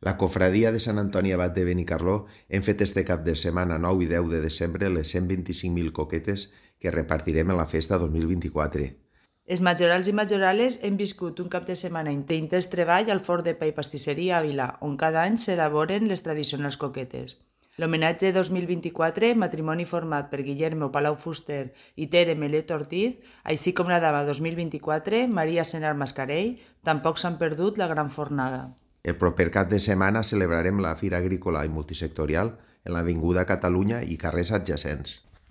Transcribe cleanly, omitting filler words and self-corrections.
La cofradia de Sant Antoni Abat de Benicarló hem fet este cap de setmana 9 i 10 de desembre les 125.000 coquetes que repartirem en la festa 2024. Els majorals i majorales hem viscut un cap de setmana d'intens treball al forn de pa i pastisseria Àvila, on cada any s'elaboren les tradicionals coquetes. L'homenatge 2024, matrimoni format per Guillermo Palau Fuster i Tere Melet Ortiz, així com la dama 2024, Maria Senar Mascarell, tampoc s'han perdut la gran fornada. El proper cap de setmana celebrarem la Fira Agrícola i Multisectorial en l'Avinguda Catalunya i carrers adjacents.